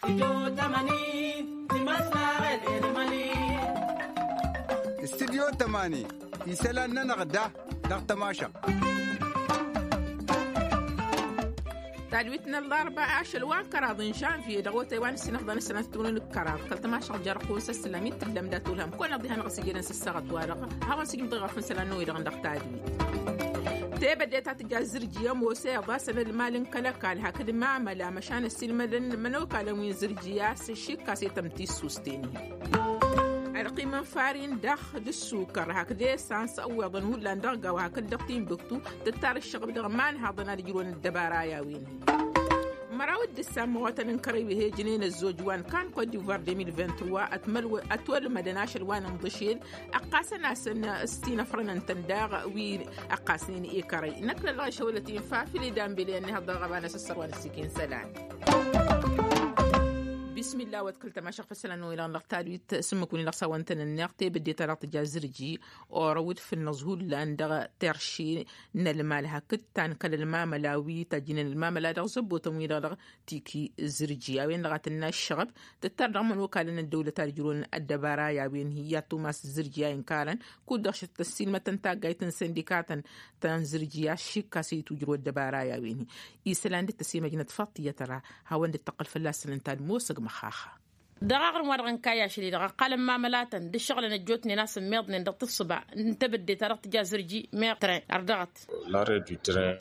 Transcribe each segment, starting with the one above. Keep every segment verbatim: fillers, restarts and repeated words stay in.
Studyo tămani. Studyo tămani isălan-nănăɣ da dăɣ-tămašăɣt. Tadwit n-ălḍarba ašăl wa n-kăraḍ n-žănvye dăɣ-otay wa n-ǝssin ăfḍăn ăssanăt tunǝn d-kăraḍ kăl-tămašăɣt jer-ăqqun s-ăssălam i-tǝllăm dat-olhăm kăwăn-ăḍḍiha-năɣ s-ijădăn s-ăssaɣăt-wa-dăɣ. Hawăn-sǝjǝm dăɣ-iɣăf n-isălan n-oy-dăɣ n-dăɣ tadwit. Tebădde ta tǝja zǝrji ămoos iḍas n-ălmal n-kăl-ăkall hakd mamăla măšan ăssiilmădăn imănokalăn wi n-zǝrji a-s šikkas i-tăm tissusten-hi. Ălqim n-farin daɣ d-ǝssukăr hakd esans ăwweḍăn hullan dăɣ-gawa hakd dăɣ-timbuktu tǝttar ǝššăɣb dăɣ-imanhaḍăn ad-ǝjrǝwăn ăddăbara i-a-wen-hi. Măraw d-ǝssan măɣotăn n-kărăy wi he-ǝjnen ăzzoj wa n-kan kot divoir deux mille vingt-trois ătwălmădăn ašăl wa n-inḍǝšel ăqqasăn-asăn s-tinăfrăn ǝntăn daɣ wi ăqqasnen i-kărăy. Năkk n-ălɣăyšăwălăt-in fafil i-danbele ănnihăḍ dăɣ-ăɣăba n-asǝssăr wa n-ăssikin isălan. Bismillah wa d-kăl-tămašăɣ făssălan n-oy-dăɣ n-dăɣ tadwit s-ǝmmǝk-win-dăɣ s-a-wăn tăn-ǝnneɣ tebădde-ta-dăɣ tǝja zǝrji orăw d-fǝnnăẓ hullan dăɣ-terši n-ălmal hakd ta n-kăl-ălmamăla wi tajjǝnen ălmamăla dăɣ-zăbbotăn-wi-dăɣ dăɣ-tiki zǝrji a-wen-dăɣ a tǝnna ǝššăɣăb tǝttar dăɣ-imănokalăn ăddăwlăt ad-ǝjrǝwăn ăddăbara i-a-wen hi-i ad-tumas zǝrji a inkarăn kud-dăɣ šăt tăssiilmătăn taggayt n-sindikatăn ta n-zǝrji a-s šikkas i-tujrǝw ăddăbara i-a-wen hi isălan dd-tăsimăjnăt faḍt tiyyăt ra hawăn-dd-tăqqăl fălla-săn ǝnta d-mosăg măxxaxa. Dăɣ-aɣrǝm wa dăɣ-nǝkka i-ašăl-i-dăɣ ăqqalăn mamălatăn d-ǝššăɣǝlăn ăjjootnen a-s ǝmmiḍnen dăɣ-tǝssǝba n-tebădde-ta-dăɣ tǝja zǝrji meɣ tren ărdăɣăt.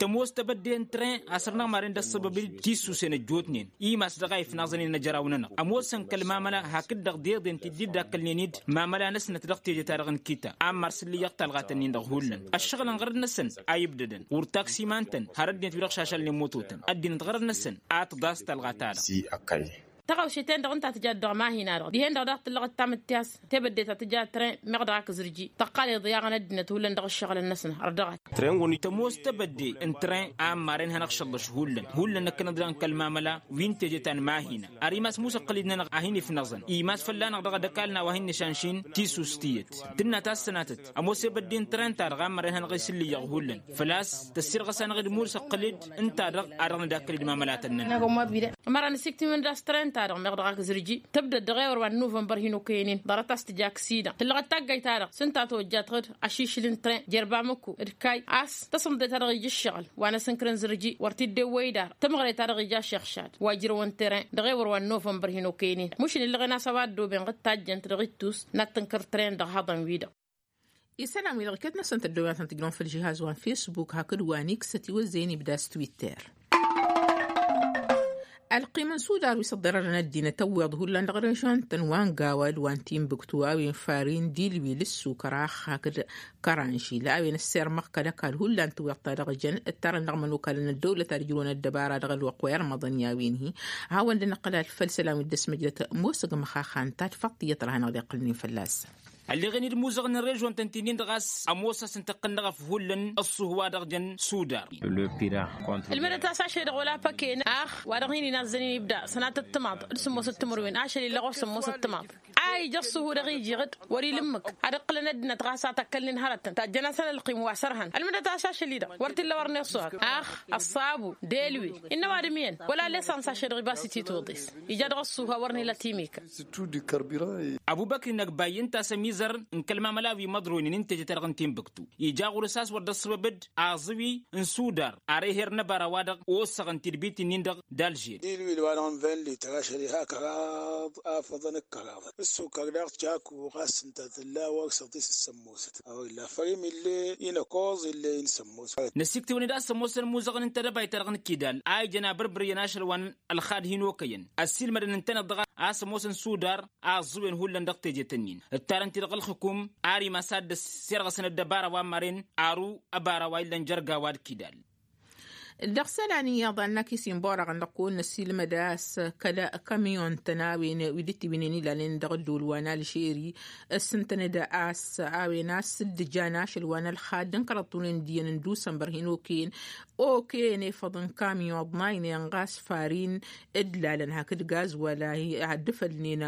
Tămoos tebădde n-tren a săr-năɣ maren d-ăssăbăb-dd tissusen ăjjootnen imas dăɣ-a ifnaẓăn i-năjăraw-nănăɣ ămoosăn kăl-mamăla hakd-dăɣ d-eḍen ti dd-dd-akkălnen-dd mamăla-năsnăt dăɣ-teje-ta-dăɣ n-kita ammar s-ǝllǝyyăɣ talɣat-ǝnnin-dăɣ hullan ăššăɣǝlăn ɣărăt-năsăn a ibdădăn wăr taksiman-tăn har ăddinăt wi-dăɣ šašalnen mototăn ăddinăt ɣărăt-năsăn a tǝḍas talɣa-ta-dăɣ. Tăɣawse-ten-dăɣ ǝnta tǝjat dăɣ-mahina-dăɣ dihen-dăɣ daɣ tǝllăɣ ǝttam d-tiyas tebădde ta tǝja tren meɣ dăɣ-ak zǝrji tăqqal iḍyaɣăn ăddinăt hullan dăɣ-ǝššăɣǝlăn-năsăn ărdăɣăt. Tămoos tebădde n-tren a ămmaren hanăɣ-šăllăš hullan hullan năkkăneḍ dăɣ-n kăl-mamăla wi n-teje ta n-mahina ar imas musăqqăl-dd-nănăɣ a hin-ifnăẓăn imas fălla-năɣ dăɣ-ad-ăkall n-a-wa hin-nǝšanšin tisus tiyyăt tǝnna tassănatăt ămoos ebădde n-tren-ta-dăɣ a ămmăren hanăɣ-isǝllǝyyăɣ hullan făl-a-s tăssirɣăs-anăɣ-dd musăqqăl-dd ǝnta-dăɣ a dăɣ-nǝdakkăl-dd mamălatăn-nănăɣ. Ămăra n-asiktiwăn d-a-s tren-ta-dăɣ meɣ dăɣ-ak zǝrji tǝbdăd dăɣ-ewăr wa n-nuvănbăr hin-okăyăn-in ḍarăt a-s tǝja ăksida tǝllăɣăt taggayt-ta-dăɣ s-ǝnta a tojjat ɣǝd ašišǝl n-tren jer-bamăku d-kayy a-s tăsǝmḍe-ta-dăɣ ija ǝššăɣǝl wa n-asǝnkărăn zǝrji wăr t-dd-ewwăy idar tămɣăre-ta-dăɣ ija ašixšad wa ǝjrăwăn tren dăɣ-ewăr wa n-nuvănbăr hin-okăyăn-in mušǝn illăɣen a-s a-wa ăddooben ɣǝd tajjăn-t dăɣ-ittus n-ad-tǝnkăr tren dăɣ-haḍăn-wi-dăɣ. Isălan-wi-dăɣ iket-năsăn tăddoyatăn tǝjrăwăn făll-žihaz wa n-fesbuk hakd wa n-iksăt iwăzzăyăn ibda s-twitter. Ălqim n-sudar wi s-ăḍḍărărăn ăddinăt ăwweḍ hullan dăɣ-režion-tăn wa n-gawa d-wa n-timbuktu a-wen farin dilwil ǝssukărax hakd kăranžil a-wen ăssirmăɣ kăl-ăkall hullan tǝwweḍ-ta-dăɣ jăn ǝttarăn dăɣ-imănokalăn ăddăwlăt ad-ǝjrǝwăn ăddăbara dăɣ-ălwăqq wa irmăḍăn i-a-wen-hi. Hawăn-dd-năqqălal făll-isălan wi dd-ăsmăjrăt musăg măxaxan ta d-faḍt tiyyăt ra hanăɣ-dd-iqqǝlnen fălla-săn. Ălleɣen-dd imuzăɣăn n-režion-tăn ti-nin-dăɣ a-s ămoos a-s ǝntăqqǝl n-eɣăf hullan ăṣṣuh wa dăɣ-jăn sudar. Ǝlmǝdăt a-s ašăl-i-dăɣ wăla păke n-ax wa dăɣ-hin-inazzănen ibda sănatăt timaḍ d-sǝmmosăt timǝrwen ašăl-i-dăɣ ɣur-sǝmmosăt timaḍ a ija ăṣṣuhu dăɣ-iji ɣǝd wăr-ila ǝmmǝk ad-ǝqqǝlăn ăddinăt ɣas a tăkkălnen hărătăn tajjăn-asăn ălqim wa sărhan ălmǝdăt a-s ašăl-i-dăɣ wăr t-illa wăr n-iṣṣuhăk ax ăṣṣabu d-elwil innă ăwadǝm iyyăn wăla lesans ašăl-i-dăɣ ibas ititwǝḍes. Ija dăɣ-ăṣṣuhu a wăr n-ila timika. Ăbubăkri n-ăgbayy ǝnta a-s ămizăr n-kăl-mamăla wi măḍroynen n-teje-ta-dăɣ n-timbuktu ija ɣur-s a-s wăr dd-ăṣṣăbăb-dd aẓǝwi n-sudar ar eher n-ăbara wa-dăɣ ossăɣăn tidbit-nin-dăɣ d-alžeri. Ilwil wa-dăɣ n-vingt lităr ašăl iha kăraḍ afăḍăn d-kăraḍăn ǝssukăr daɣ čaku ɣas ǝnta tǝlla a-wa ǝksăḍ-t s-ǝssămmosăt a-wa illa fărim ill'-e inăkoẓ ill'-e inǝsămmos. Năsiktǝwăn-dd a-s ămoosăn imuzăɣăn n-tedăbayt-ta-dăɣ n-kidal a ijăn abărbăr iyyăn ašăl wa n-ălxad hin-okăyăn ăssiilmădăn ǝntăneḍ-dăɣ a-s ămoosăn sudar aẓẓǝwen hullan dăɣ-tejet-ǝnnin ǝttarăn-t-dăɣ ălxǝkum ar imas ad-dd-ăssirɣăsăn ăddăbara wa n-maren aru ăbara wa illăn jer-gawa d-kidal. Dăɣ-isălan iyyăḍ a n-akis inborăɣăn dăɣ-kăwăn-năsilmăd a-s kăl-kamyon-tăn a-wen wi dd-tiwǝynen ilalnen dăɣ-ăddol wa n-alžeri ǝssǝntăn-dd a-s a-wen a-s dd-ǝjan ašăl wa n-ălxad d-ǝnkărăḍ tunen d-iyyăn n-dusănbăr hin-okăyăn okăyăn efăḍ n-kamyon ăḍnaynen ɣas farin d-lalăn hakd gazwal a dd-ǝfălnen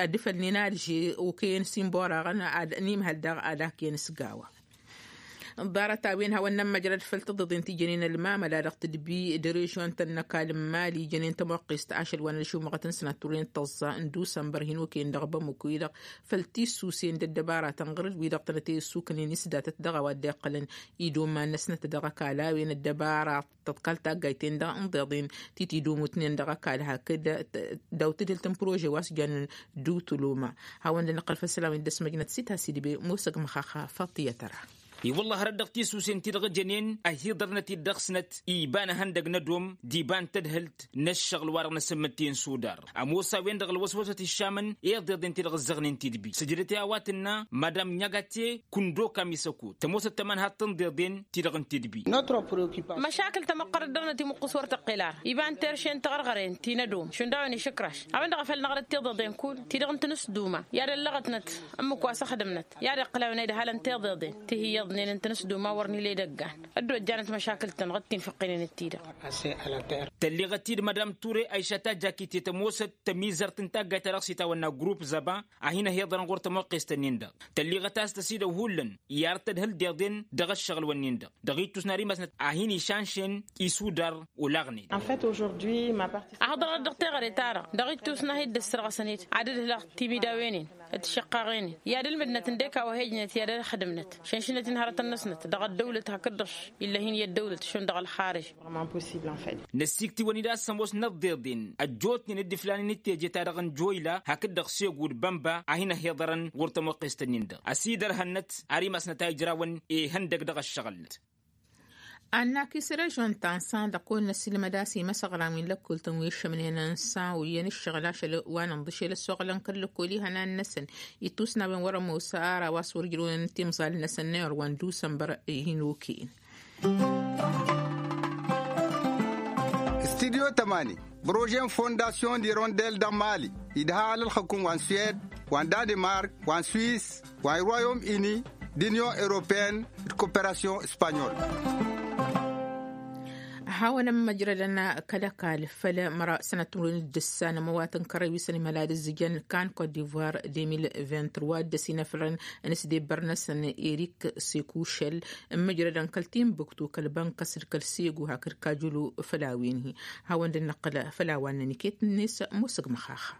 ad-dd-ǝfălnen alže okăyăn s-inborăɣăn ad-nimhăl daɣ ad-akǝyăn s-gawa. Ḍarăt-a-wen hawăn-nămmăjrăd făll-tiḍeḍen ti jănen ălmamăla dăɣ-tǝdbi d-režion-tăn n-ăkall n-mali jănen tămoqqest ašăl wa n-ălšumăɣăt n-sănat turăyăn tăẓẓa n-dusănbăr hin-okăyăn dăɣ-bamăko-i-dăɣ făll-tissusen d-ăddăbara tănɣăr-dd wi-dăɣ tănăt-e ăssuknen isdatăt dăɣ-a-wa dd-iqqălăn idomman-năsnăt dăɣ-ăkall a-wen ăddăbara tăḍkal taggayt-en-dăɣ n-iḍeḍen ti tidumutnen dăɣ-ăkall hakd daw-tǝdhǝlt n-prože wa s-jannen dutuluma. Hawăn-dd-nǝqqăl făll-isălan wi n-dd-ăsmăjnăt sita sidbe musăg măxaxa faṭiyăt ăra. I-wălla hărăt dăɣ-tisusen-ti-dăɣ ǝjănen ăhiḍărnăt-dd dăɣ-snăt iba n-ehăndăg n-ădom d-iba n-tadhǝlt n-ăššăɣǝl-wa-dăɣ n-asǝmmǝt ti n-sudar. Ămoos a-wen-dăɣ ălwăswăsăt išamăn iḍeḍen-ti-dăɣ ǝzzăɣnen tidbi sǝjdăt i-a-wa tǝnna madam ɲagate kundo kamisăkut tămoosăt tămanhat n-iḍeḍen-ti-dăɣ n-tidbi. Măšakǝl tamăqqărăt dăɣ-năt imuqqǝs wăr tăqqel ara iba n-terše n-tiɣărɣăren ti n-ădom šund a-wen išǝkraš a-wen-dăɣ a făl năɣrăt tiḍeḍen kull ti-dăɣ n-tinǝsduma i-ad-ăllăɣătnăt ǝmmǝk wa s-ăxdǝmnăt i-ad-iqqǝl a-wen a idhalăn tiḍeḍen ti hi-iyyăḍnen n-tinǝsduma wăr nǝla edăggan ăddojjanăt măšakǝl-tăn dăɣ-t tinfǝqqǝnen-t-i-dăɣ. Tălleɣăt-dd madam ture aišat a jakitet ămoosăt tămizărt n-taggayt-ta-dăɣ s-itawănna grupp zăba a hin-ăhiḍărăn ɣur-tămoqqest-ǝnnin-dăɣ tălleɣăt a-s tăsidăw hullan i-ar tădhǝl deḍen dăɣ-ăššăɣǝl-wǝnnin-dăɣ dăɣ-ittus n-ar imasnăt a hin-išanšen isudar olaɣnen. Ahǝḍărăɣ-dd dăɣ-teɣăre-ta-dăɣ dăɣ-ittus n-ad-hi-dd-ăssărɣăsăn-dd ad-ǝdhǝlăɣ timidawen-in d-tišăqqaɣen-in i-ad-ǝlmǝdnăt ǝndek a-wa he-ǝjnăt i-ad-ăxdǝmnăt šănšǝnăt-in hărătăn-năsnăt dăɣ-ăddăwlăt hakd-dăɣ ill'-ahin i-ăddăwlăt šund dăɣ-ălxarǝj. Năssiiktǝwăn-dd a-s ămoos n-ăḍḍeḍen ăjjootnen d-iflanen d-teje-ta-dăɣ n-joyla hakd-dăɣ segu d-bănba a hin-ăhiḍărăn ɣur-tămoqqest-ǝnnin-dăɣ ăsidărhănnăt ar imasnăt a ijrawăn ihăndăg dăɣ-ăššăɣǝl-năt. Annak-i s-režion ta n-sanḍăk wăr năsilmăd a-s imăsăɣran wi n-lăkkol-tăn wi ăššămnen n-san wi iyyăn ǝššăɣǝl ašăl wa n-inḍǝšel ăssoɣlăn kăl-lăkkol ihănan-năsăn ittus n-a-wen wăr-ămoos ara wa s-wăr ǝjrăwăn timẓal-năsăn n-ayăr wa n-dusănbăr ihin-okăyăn. Studyo tămani prože n-fondasyon d-irondel dăɣ-mali idha alălxăkum wa n-suwed wa n-danimark wa n-swis wa n-royom ini d-inyon europeen d-koperasyon espanyol. Hawăn-ămmăjrădăn kăl-ăkall făll-măraw sănăt timǝrwen d-ǝssa n-ămăwat n-kărăy wi s-ănimăla d-ǝzzǝjăn kan kot divoir deux mille vingt-trois dd-ăsinăfrăn n-asdebbăr-năsăn erik sekušăl ǝmmǝjrădăn kăl-timbuktu kăl-bănkăs d-kăl-segu hakd kajulu făll-a-wen-hi. Hawăn-dd-năqqǝl făll-a-wa n-năniket-net musǝg măxaxa.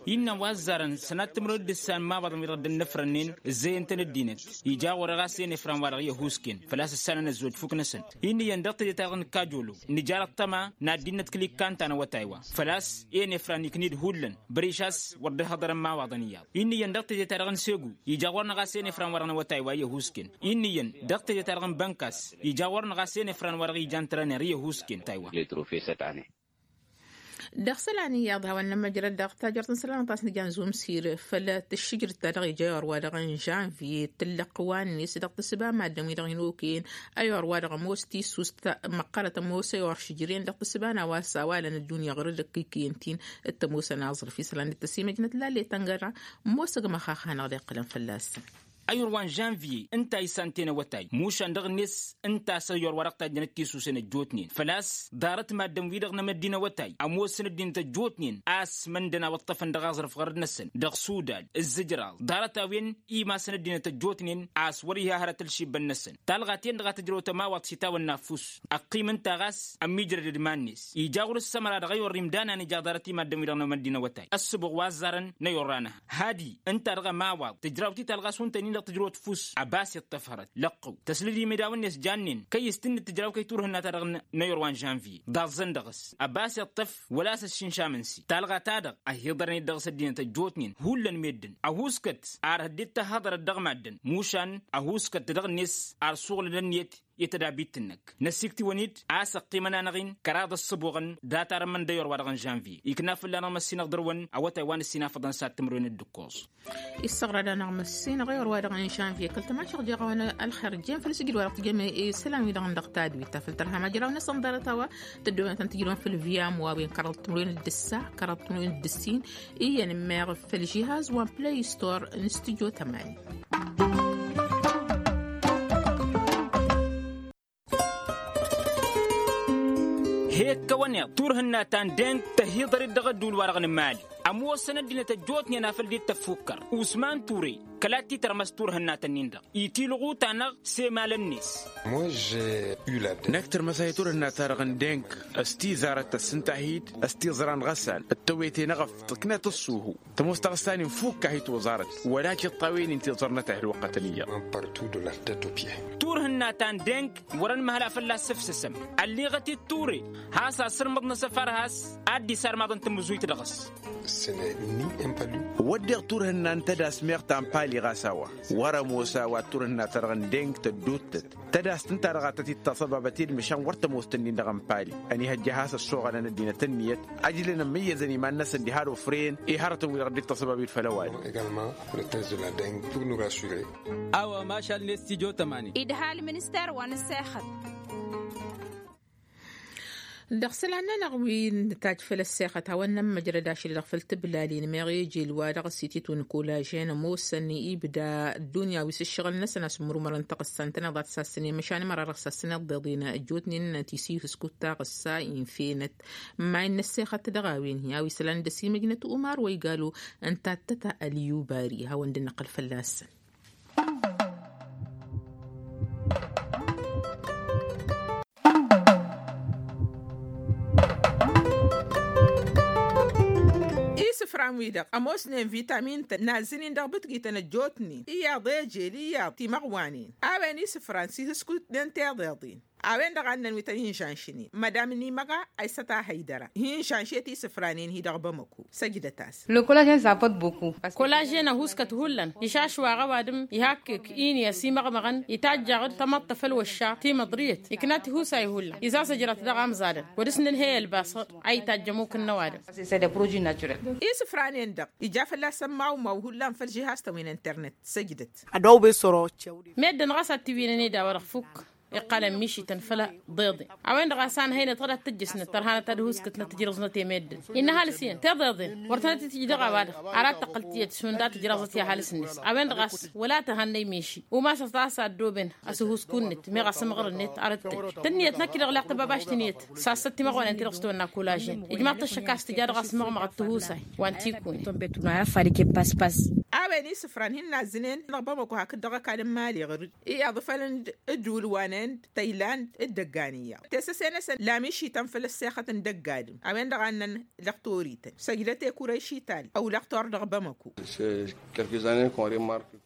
Innă wa ăzzarăn sănat timǝrwen d-ǝssan imawaḍăn wi-dăɣ dd-ănnăfrănnen ǝzzeyăn-tăn ăddinăt ija ɣur-e ɣas enefran wa-dăɣ i-ăhuusken făl-a-s ǝssanăn ăzzoj fuk-năsăn. Inn'-iyyăn dăɣ-teje-ta-dăɣ n-kajulu nǝjar ăṭṭăma n-ad-dd-innăt kăl-ikkan ta n-awătay wa făl-a-s enefran iknǝy-dd hullan băriš a-s wăr dd-ăhhăḍărăn imawaḍăn iyyăḍ. Inn'-iyyăn dăɣ-teje-ta-dăɣ n-segu ija ɣur-năɣ a-s enefran wa-dăɣ n-awătay wa i-ăhuusken. Inn'-iyyăn dăɣ-teje-ta-dăɣ n-bănkas ija ɣur-năɣ a-s enefran wa-dăɣ ijan trăner i-ăhuusken taywa. Dăɣ-isălan iyyăḍ hawăn-nămmăjrăd dăɣ-tajărt n-isălan ɣas nǝjan zumsir făll-tǝššǝjrǝt ta dăɣ-ija i-orwa-dăɣ n-žanvye tǝllăqq wa-net dăɣ-tǝssǝba maddǝn-wi-dăɣ hin-okăyăn. Ayy orwa-dăɣ ămoos tissust măqqărăt ămoos ayy oršǝjren dăɣ-tǝssǝba n-a-wa s-awalăn ăddunya ɣur-dd-ăkkikăyăn-t-in. D-tămoosăn aẓrǝf isălan d-tăsimăjnăt lalle tăngăra ămoosăg măxaxa a hanăɣ-dd-iqqǝlăn fălla-săn. Ayy orwa n-žanvye ǝnta a isanten awătay mušan dăɣ-net ǝnta a-s ayy orwa dăɣ-tajjănăt tisusen ăjjootnen făl-a-s ḍarăt maddǝn-wi-dăɣ n-amăddin awătay ămoosăn ăddinăt ăjjootnen a-s măndăn a wăṭṭăfăn dăɣ-aẓrǝf ɣărăd-năsăn dăɣ-sudal ǝzzǝjraḍ ḍarăt-a-wen imasăn ăddinăt ăjjootnen a-s wăr-iha hărăt ălšibbăn-năsăn. Talɣa-ten-dăɣ a tǝjrăw tămawaḍt s-itawănna ăffus ăqqim ǝnta ɣas ămmiijrădăd iman-net ija ɣur-ǝssămăra dăɣ-ayorr imdan a nǝja ḍarăt imaddǝn-wi-dăɣ n-amăddin awătay ăssǝbuɣ wa ăzzarăn n-ayorr-anăha hadi ǝnta dăɣ-ămawaḍ tǝjraw-t i-talɣa s-wăn-tăn-in-dăɣ tǝjrăwăt ăffus ăbas iṭṭăf hărăt lăqqăw tăslăd imidaw-net jannen kăy-s tǝnnǝd tǝjraw kăy-turhǝnna-ta-dăɣ n-ayorr wa n-žanvye d-aẓẓăn dăɣ-s ăbas iṭṭăf wăla a-s ăššinšam ǝnsi talɣa-ta-dăɣ ăhiḍărăn-dd dăɣ-s ăddinăt ăjjootnen hullan meddǝn ăhuuskăt ar hăddet tăhhăḍărăt dăɣ-maddǝn mušan ăhuuskăt dăɣ-net ar suɣǝlăn ănniyăt i-tădabit-năk năsiktǝwăn-dd a-s ăqqimăn-anăɣ-in kăraḍ ăssăbuɣăn datarăn măndăyor wa dăɣ-n žanvye ikna fălla-năɣ măssinăɣ dăr-wăn awătay wa n-ăssinafăḍăn s-ad-timǝrwen d-ǝkkoẓ. Issăɣrad-anăɣ măssinăɣ i-orwa dăɣ-n žanvye kăl-tămašăɣ jeɣăwăn ălxer jen făll-sǝjǝd wa dăɣ-tǝjăm isălan-wi-dăɣ n-dăɣ tadwit ta făll-tărha majraw-năsăn ḍarăt a-wa tăddoonătăn tǝjrăwăn făll-viam wa wen kăraḍ timǝrwen d-ǝssa kăraḍ timǝrwen d-ǝssin. Iyyăn ǝmmeɣ făll-žihaz wa n-play store n-studyo tămani. He-ǝkkăwăn iḍ turhǝnna ta n-deng tăhiḍăr-dd dăɣ-ădduul-wa-dăɣ n-mali ămoosăn ăddinăt ăjjootnen afăl dd-tăffukkăr usman ture. Kăla t-tărmăs turhǝnnat-ǝnnin-dăɣ itilɣuta-năɣ s-emalăn-net. Năkk tărmăs a hi-turhǝnna-ta-dăɣ n-deng s-tizarăt tăssǝnta-hi-dd s-tiẓra n-iɣăssan d-tewete n-eɣăf tǝknăt ăṣṣuhu. Tămoos taɣǝssa-nin fukk a hi-toẓarăt wăla tiṭṭawen-in tiẓrănăt a hi-ălwăqqătăn iyyăḍ. Turhǝnna ta n-deng wărăn măhăla fălla-s sǝfsǝsăm ălliɣăt-dd ture has-asǝrmǝḍ n-asăfar has-ad-dd-isarmaḍăn tamǝzuyt dăɣ-s. Wădden turhǝnna n-tădas meɣ ta n-pali ɣas a-wa wăr-ămoos a-wa turhǝnna-ta-dăɣ n-deng tădduuttăt tădast ǝnta-dăɣ a tăt-dd-taṣăbabăt i-dd măšan wăr tămoos tăn-in-dăɣ n-pali. Ănihăjja has-ăssoɣălăn ăddinăt ǝnniyăt ăjlăn ămmăyyăzăn iman-năsăn diha d-ofren i-hărătăn-wi-dăɣ dd-taṣăbab-dd făll-ăwadǝm. A-wa mašal n-estidyo tămanin. Idha ălminister wa n-ăssexăt. Dăɣ-isălan-nănăɣ wi n-tajj făll-ăssexăt hawăn-nămmăjrăd ašăl-i-dăɣ făll-tiblalin meɣ ejel wa dăɣ-s ititun kolažen ămoosăn ibda ăddunya wi s-ǝššăɣǝl-năsăn a-s ǝmmǝrumărăn taɣǝssa ǝntăneḍ ad-t-sassănen măšan ămăra dăɣ-sassăneḍ deḍen ăjjootnen tisihǝskut taɣǝssa infenăt. Ǝmmayǝn n-ăssexăt dăɣ-a-wen hi-a-wa isălan d-ăsimăjnăt umar wa igalu ǝnta ad-tăta ăliyubari hawăn-dd-năqqăl fălla-săn. Isǝfran-wi-dăɣ ămoosnen vitamin-tăn n-azzǝn-in dăɣ-bǝtgităn ăjjootnen iyyăḍ ejel iyyăḍ timăɣwanen. A-wen isǝfran s-ihǝskutnen tiḍeḍen. A-wen-dăɣ a ǝnnăn wi tăn-inžanšnen mădam n-imăɣa a isăt a hăydăra hi-inžanšet isǝfranen-hi dăɣ-bamăko. Săjdăt-as. Kolažen ăhuuskăt hullan išašwaɣ ăwadǝm ihakkek ini ăsimăɣmăɣăn itajjaɣ-dd tamăḍt ta făll-wăšša timăḍriyăt ikna tihusay hullan izazăjrăt dăɣ-amẓadăn wăr-s nǝnhăy ălbasăḍ a itajj ămuk n-ăwadǝm. Isǝfranen-dăɣ ija fălla-săn mawmaw hullan făll-žihaz-tăn wi n-internet. Săjdăt. Meddǝn ɣas ad-t-iwǝynăn i-dawădăɣ fukk iqqalăn mišităn făll-ḍeḍen. A-wen-dăɣ a-s anhăynăt ɣǝd ad-t-ǝjjǝsnăt tărhanăt ad-ǝhuskǝtnăt tijrǝẓnăt i-meddǝn. Innă ăhalǝs iyyăn tiḍeḍen wăr tănăt-itǝjj dăɣ-a-wa-dăɣ. Ar ad-tăqqǝl tiyyăt šund ad-tǝjrăẓăt i-ăhalǝs-net. A-wen-dăɣ a-s wăla tăhannăy miši umasăt a-s ad-dd-oben ăsǝhusku-net meɣ asǝmɣăr-net arăt-tăjj tǝnniyăt năkk-i-dăɣ leɣ tăbabašt ǝnniyăt. Sassăt timăɣwănen-ti-dăɣ s-tăwănna kolažen ijmaḍ-t ăššăk a-s tǝja dăɣ-asǝmɣămăɣăt tihusay wa n-tikune. A-wen isǝfran hin-nazzǝnen dăɣ-bamăko hakd-dăɣ ăkall n-mali ɣur-dd iyyăḍ făll-ǝnd dd-ulwanen d-tăyland d-dăggan iyyăḍ tesăse-năsăn lamišităn făll-ăssexăt n-dăgg-adǝm. A-wen-dăɣ a ǝnnăn lăqtor-ităn săjdăt i-kurăyš ital ăw lăqtor dăɣ-bamăko.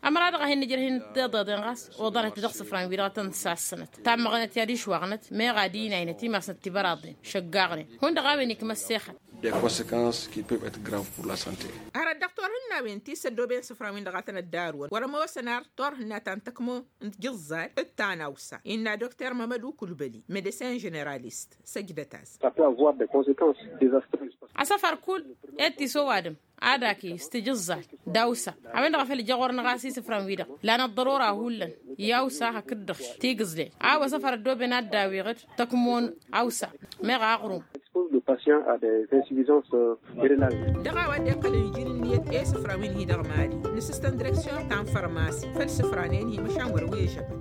Ămăra-dăɣ a hin-nǝjrăh-in tiḍeḍen ɣas oḍărăt dăɣ-isǝfran-wi-dăɣ a tăn-sassănăt tammăɣnăt i-ad-išwaɣnăt meɣ ad-inaynăt imasnăt tibăraḍen šăggaɣnen hundăɣ a-wen ikma ăssexăt. Des conséquences qui peuvent être graves pour la santé. Hărăt dăɣ-torhǝnnawen ti s-ăddooben isǝfran-win-dăɣ a tăn-ăddarǝwăn wăr-ămoosăn ar torhǝnna ta n-tăkmo n-tijǝẓẓal d-ta n-awsa innă dokter mămădu kulbăli medecin ženeralist. Săjdăt-as. Asăfăr kull i-ad-t-iso ăwadǝm ad-aki s-tijǝẓẓal d-awsa. A-wen-dăɣ a făl ija ɣur-năɣ a-s isǝfran-wi-dăɣ lan ăḍḍărora hullan i-awsa hakd-dăɣ tigǝẓlen a-wa asăfăr ăddooben ad-dd-awiɣ-dd tăkmo n-awsa meɣ aɣrum. Dăɣ-a-wa dd-iqqălăn iji n-ǝnniyăt i-isǝfran wi n-hi-dăɣ mali nǝsǝstăn direksyon ta n-fărmasi făll-isǝfranen-hi măšan wăr-ăwežăbăn.